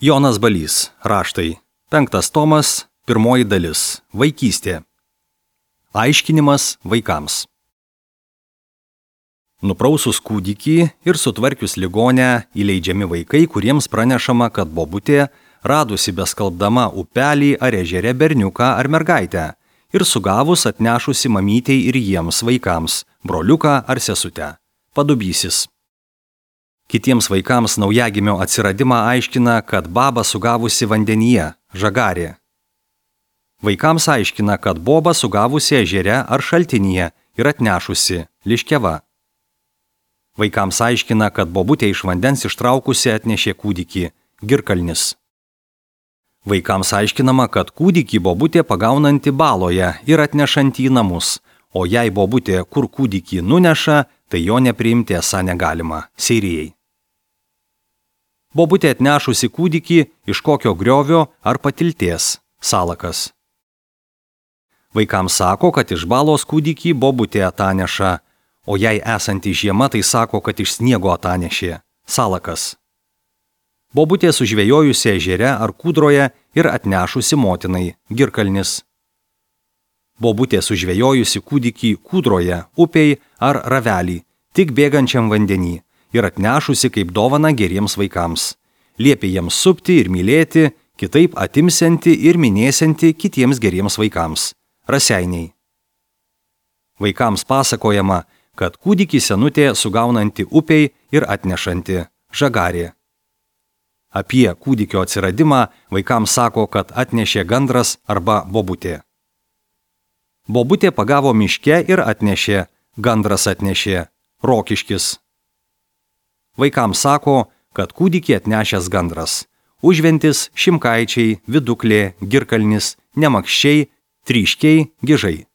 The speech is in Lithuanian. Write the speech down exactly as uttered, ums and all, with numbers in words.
Jonas Balys, raštai, penktas tomas, pirmoji dalis, vaikystė. Aiškinimas vaikams. Nuprausus kūdikį ir sutvarkius ligonę įleidžiami vaikai, kuriems pranešama, kad bobutė, radusi beskalbdama upelį ar ežere berniuką ar mergaitę ir sugavus atnešusi mamytei ir jiems vaikams, broliuką ar sesutę, padubysis. Kitiems vaikams naujagimio atsiradimą aiškina, kad baba sugavusi vandenyje, žagarė. Vaikams aiškina, kad boba sugavusi ežere ar šaltinyje ir atnešusi, liškeva. Vaikams aiškina, kad bobutė iš vandens ištraukusi atnešė kūdikį, girkalnis. Vaikams aiškinama, kad kūdikį bobutė pagaunanti baloje ir atnešanti į namus, o jei bobutė kur kūdikį nuneša, tai jo nepriimti esą negalima, seirijai. Bobutė atnešusi kūdikį iš kokio griovio ar patilties, salakas. Vaikams sako, kad iš balos kūdikį bobutė ataneša, o jei esanti žiema, tai sako, kad iš sniego atanešė, salakas. Bobutė sužvejojusi ežere ar kūdroje ir atnešusi motinai, girkalnis. Bobutė sužvejojusi kūdikį kūdroje, upei ar ravelį, tik bėgančiam vandenį, ir atnešusi kaip dovana geriems vaikams. Liepė jiems supti ir mylėti, kitaip atimsianti ir minėsianti kitiems geriems vaikams. Raseiniai. Vaikams pasakojama, kad kūdikį senutė sugaunanti upei ir atnešanti, žagarė. Apie kūdikio atsiradimą vaikams sako, kad atnešė gandras arba bobutė. Bobutė pagavo miške ir atnešė, gandras atnešė, rokiškis. Vaikams sako, kad kūdikį atnešęs gandras, užventis, šimkaičiai, viduklė, girkalnis, nemakščiai, tryškiai, gižai.